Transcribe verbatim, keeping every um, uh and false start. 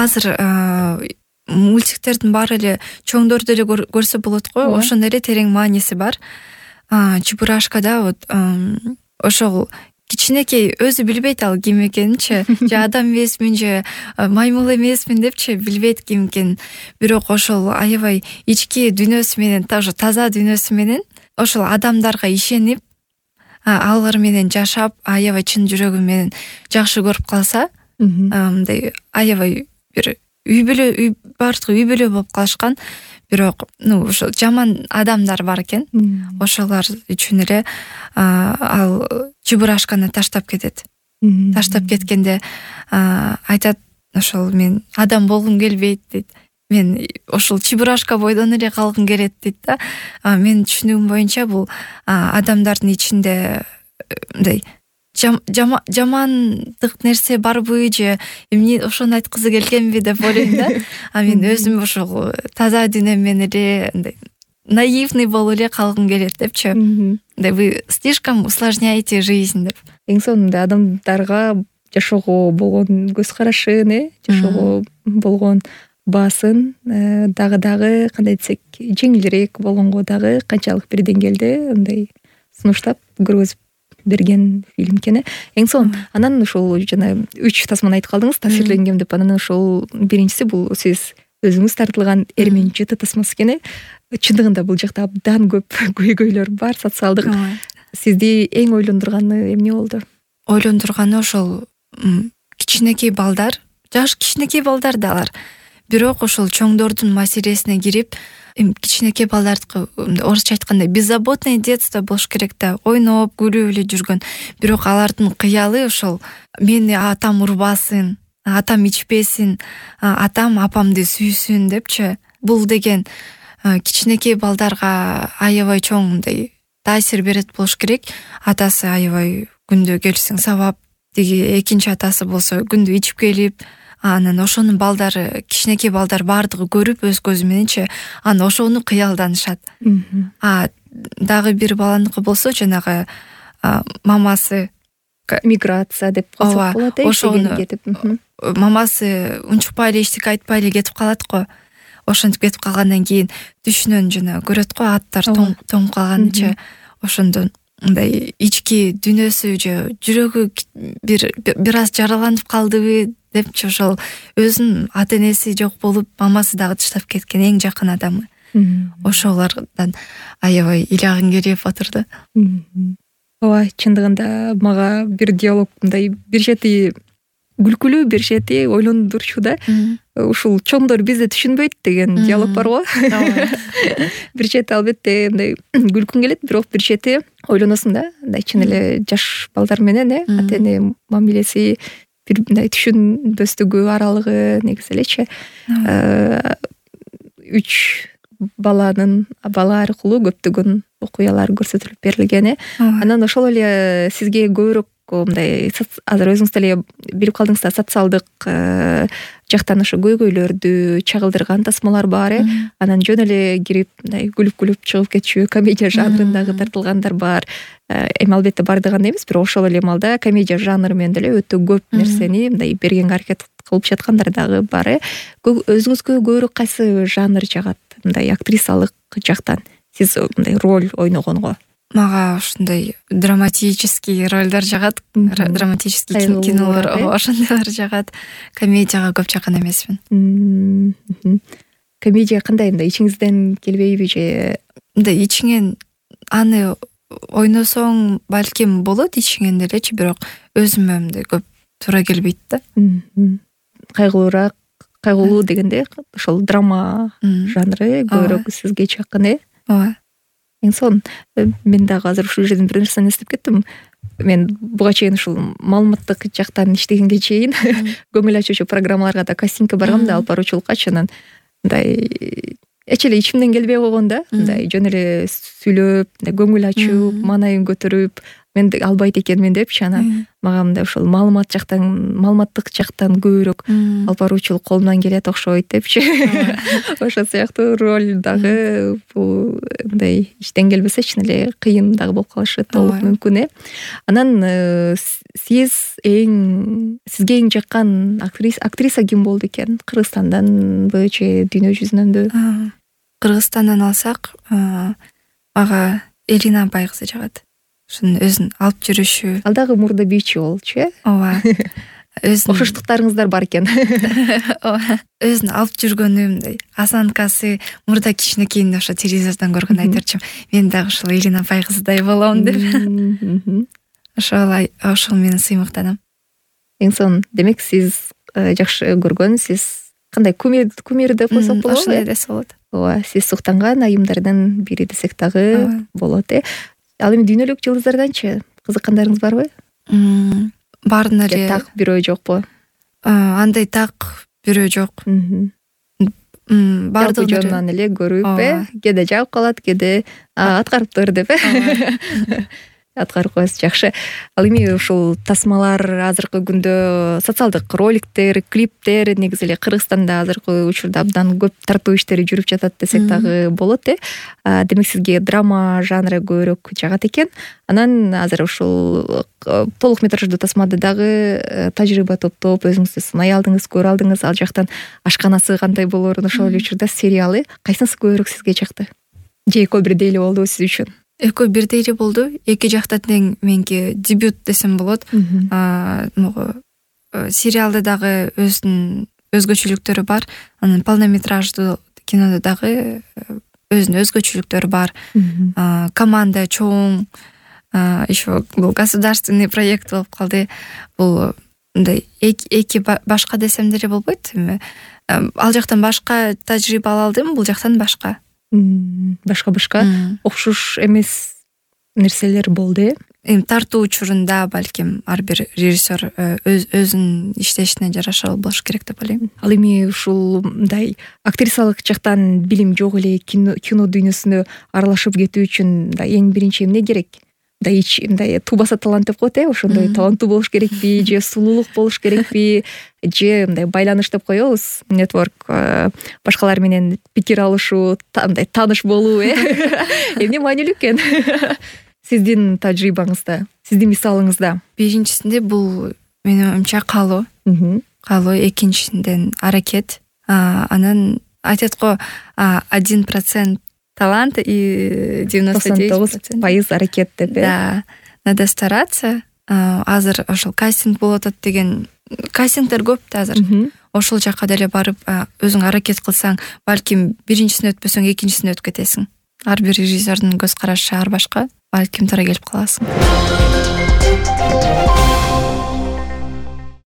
азыр мультиктердин баары эле чоңдор деле көрсө болот го, ошондой эле терең мааниси бар. Чебурашкада вот ошол кичинекей өзү билбейт ал ким экенинчи, же адам эмесмин, же маймыл эмесмин депчи билбейт ким экенин. Бирок ошол аябай ички дүйнөсү менен, тоже таза дүйнөсү менен ошол адамдарга ишенип, алар менен жашап, аябай чын жүрөгү менен жакшы көрүп калса, мындай аябай бир үй бүлө, үй бардыгы үй бүлө болуп калышкан. Бирок, ну, ошо жаман адамдар бар экен. Ошолар үчүн эле ал Чебурашканы таштап кетет. Таштап кеткенде айтат, ошол мен адам болгум келбейт дейт. Мен ошол Чебурашка бойдон эле калгым келет дейт да. Менин түшүнүгүм боюнча бул адамдардын ичинде мындай жамандык нерсе барбы, же эмне ошону айткызы келгенби деп ойлойм да. А мен өзүм ошол таза дүйнөм менен эле мындай наивный болуп эле калгым келет депчи. Мындай вы слишком усложняете жизнь деп. Эң сонунда адамдарга жашоого болгон көз карашын, э, жашоого болгон баасын дагы дагы кандай десек, жеңилирээк болгонго дагы канчалык бир деңгээлде мындай сунуштап көргөзүп берген фильм экен. Эң сонун. Анан ошол жана үч тасманы айтып калдыңыз, таасирленгем деп. Анан ошол биринчиси бул сиз өзүңүз тартылган Эрмен жети тасмасы экен. Чындыгында бул жакта абдан көп көйгөйлөр бар, социалдык. Сизди эң ойлондурганы эмне болду? Ойлондурганы ошол кичинекей балдар, жаш кичинекей балдар да алар. Бирок ошол чоңдордун маселесине кирип, кичинекей балдардыкы орусча айтканда беззаботное детство болуш керек да, ойноп, күлүп эле жүргөн. Бирок алардын кыялы ошол мени атам урбасын, атам ичпесин, атам апамды сүйсүн депчи. Бул деген кичинекей балдарга аябай чоң мындай таасир берет болуш керек. Атасы аябай күндө келсең сабап, тиги экинчи атасы болсо күндө ичип келип, анан ошонун балдары, кичинекей балдар бардыгы көрүп өз көзү мененчи, анан ошону кыялданышат. А дагы бир баланыкы болсо, жанагы мамасы миграция деп калсак болот, э, ошону кетип. Мамасы унчукпай эле эчтеке айтпай эле кетип калат го. Ошентип кетип калгандан кийин түшүнөн жана көрөт го, аттар тоңуп калганычы. Ошондон мындай ички дүйнөсү же жүрөгү бир бир аз жараланып калдыбы депчи, ошол өзүнүн ата энеси жок болуп, мамасы дагы таштап кеткен эң жакын адамы. Ошолордон аябай ыйлагың келип отурду. Ооба, чындыгында мага бир диалог мындай бир чети күлкүлүү, бир чети ойлондурчу да. Ушул чоңдор бизди түшүнбөйт деген диалог бар го. Бир чети албетте мындай күлкүң келет, бирок бир чети ойлоносуң да, мындай чын эле жаш балдар менен, э, ата эне мамилеси, бир мындай түшүнбөстүгү аралыгы негизи элечи. Үч баланын бала аркылуу көптөгөн окуялар көрсөтүлүп берилген. Анан ошол эле сизге көбүрөөк мындай азыр өзүңүз деле билип калдыңыз да, социалдык жактан ошо көйгөйлөрдү чагылдырган тасмалар бар, э. Анан жөн эле кирип мындай күлүп-күлүп чыгып кетчү комедия жанрындагы тартылгандар бар. Эми албетте бардыгы эмес, бирок ошол эле маалда комедия жанры менен деле өтө көп нерсени мындай бергенге аракет кылып жаткандар дагы бар, э. Өзүңүзгө көбүрөөк кайсы жанр жагат, мындай актрисалык жактан сиз мындай роль ойногонго? Мага ушундай драматический ролдор жагат, драматический кинолор, ошондойлор жагат. Комедияга көп жакын эмесмин. Комедия кандай, мындай ичиңизден келбейби же? Мындай ичиңен аны ойносоң балким болот ичиңен делечи, бирок өзүмө мындай көп туура келбейт да. Кайгылуураак, кайгылуу дегенде ошол драма жанры көбүрөөк сизге жакын, э? Ооба. Эң сонун. Мен дагы азыр ушул жерден бир нерсени эстеп кеттим. Мен буга чейин ушул маалыматтык жактан иштегенге чейин көңүл ачуучу программаларга да кастингке баргам да, алып баруучулуккачы, анан мындай эч эле ичимден келбей койгон да, мындай жөн эле сүйлөп, көңүл ачып, маанайын көтөрүп, мен албайт экенмин депчи анан мага мындай ошол маалымат жактан маалыматтык жактан көбүрөөк алып баруучулук колумдан келет окшойт депчи ошол сыяктуу роль дагы бул мындай иштен келбесе чын эле кыйын дагы болуп калышы толук мүмкүн э анан сиз эң сизге эң жаккан актриса ким болду экен? Кыргызстанданбы же дүйнө жүзүнөнбү? Кыргызстандан алсак ага Элина апай кызы жагат. Ошонун өзүн алып жүрүшү. Ал дагы мурда бийчи болчу э? Ооба. Өзүн окшоштуктарыңыздар бар экен. Ооба. Өзүн алып жүргөнү мындай осанкасы мурда кичинекейинде ошо телевизордон көргөн айтарчым. Мен дагы ушул Элина апай кызыдай болом деп. Ошол ошол менен сыймыктанам. Эң сонун. Демек сиз жакшы көргөн, сиз кандай кумир кумир деп койсок болобу? Ошондой десе болот. Ооба, сиз суктанган айымдардын бири десек дагы болот э. Ал эми дүйнөлүк жылдыздарданчы кызыккандарыңыз барбы? Бардын эле. Так бирөө жокпу? Андай так бирөө жок. Бардыгы жонунан эле көрүп э, кээде жагып калат, кээде аткарыптыр деп э. Аткарып коесуз, жакшы. Ал эми ушул тасмалар азыркы күндө социалдык роликтер, клиптер негизи эле Кыргызстанда азыркы учурда абдан көп тартуу иштери жүрүп жатат десек дагы болот э. Демек сизге драма жанры көбүрөөк жагат экен. Анан азыр ушул толук метраждуу тасмада дагы тажрыйба топтоп өзүңүздү сынай алдыңыз, көрө алдыңыз. Ал жактан ашканасы кандай болоорун ошол эле учурда сериалы кайсынысы көбүрөөк сизге жакты? Же экөө бирдей эле болдубу сиз үчүн? Экөө бирдей эле болду. Эки жактан тең меники дебют десем болот. Могу сериалда дагы өзүнүн өзгөчөлүктөрү бар. Анан полнометраждуу кинодо дагы өзүнүн өзгөчөлүктөрү бар. Команда чоң, еще бул государственный проект болуп калды. Бул мындай эки башка десем деле болбойт. Ал жактан башка тажрыйба ала алдым, бул жактан башка. Башка-башка окшош эмес нерселер болду э. Эми тартуу учурунда балким ар бир режиссер өзүнүн иштешине жараша болуш керек деп ойлойм. Ал эми ушул мындай актрисалык жактан билим жок эле кино дүйнөсүнө аралашып кетүү үчүн мындай эң биринчи эмне керек? Мындай ич мындай тубаса талант деп коет э, ошондой таланттуу болуш керекпи, же сулуулук болуш керекпи, же мындай байланыш деп коебуз, нетворк, башкалар менен пикир алышуу, мындай тааныш болуу э. Эмне маанилүү экен? Сиздин тажрыйбаңызда, сиздин мисалыңызда? Биринчисинде бул менин оюмча каалоо. Каалоо, экинчисинден аракет. Анан айтат го один процент талант и девяносто девять пайыз аракет деп э. Да, надо стараться. Азыр ошол кастинг болуп атат деген кастингдер көп да азыр. Ошол жакка деле барып өзүң аракет кылсаң, балким биринчисине өтпөсөң экинчисине өтүп кетесиң. Ар бир режиссердин көз карашы ар башка, балким туура келип каласың.